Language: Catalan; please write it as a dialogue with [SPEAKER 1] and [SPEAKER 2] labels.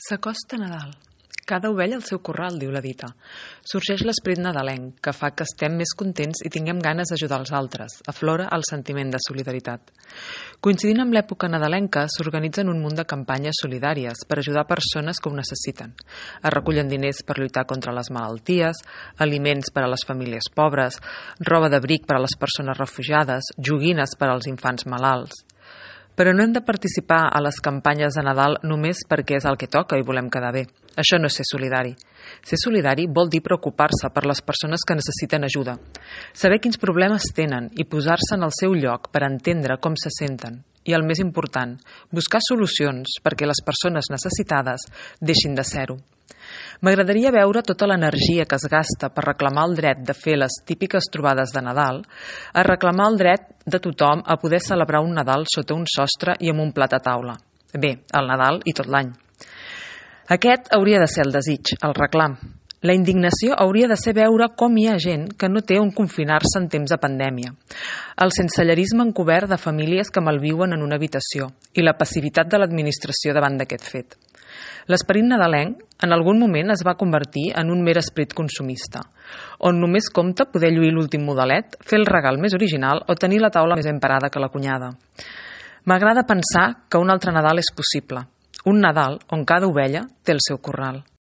[SPEAKER 1] S'acosta Nadal. Cada ovella al seu corral, diu la dita. Sorgeix l'esperit nadalenc, que fa que estem més contents i tinguem ganes d'ajudar els altres. Aflora el sentiment de solidaritat. Coincidint amb l'època nadalenca, s'organitzen un munt de campanyes solidàries per ajudar persones que ho necessiten. Es recullen diners per lluitar contra les malalties, aliments per a les famílies pobres, roba d'abric per a les persones refugiades, joguines per als infants malalts. Però no hem de participar a les campanyes de Nadal només perquè és el que toca i volem quedar bé. Això no és ser solidari. Ser solidari vol dir preocupar-se per les persones que necessiten ajuda, saber quins problemes tenen i posar-se en el seu lloc per entendre com se senten. I el més important, buscar solucions perquè les persones necessitades deixin de ser-ho. M'agradaria veure tota l'energia que es gasta per reclamar el dret de fer les típiques trobades de Nadal, a reclamar el dret de tothom a poder celebrar un Nadal sota un sostre i amb un plat a taula. Bé, el Nadal i tot l'any. Aquest hauria de ser el desig, el reclam. La indignació hauria de ser veure com hi ha gent que no té on confinar-se en temps de pandèmia. El sensellerisme encobert de famílies que malviuen en una habitació i la passivitat de l'administració davant d'aquest fet. L'esperit nadalenc en algun moment es va convertir en un mer esperit consumista, on només compta poder lluir l'últim modelet, fer el regal més original o tenir la taula més ben parada que la cunyada. M'agrada pensar que un altre Nadal és possible, un Nadal on cada ovella té el seu corral.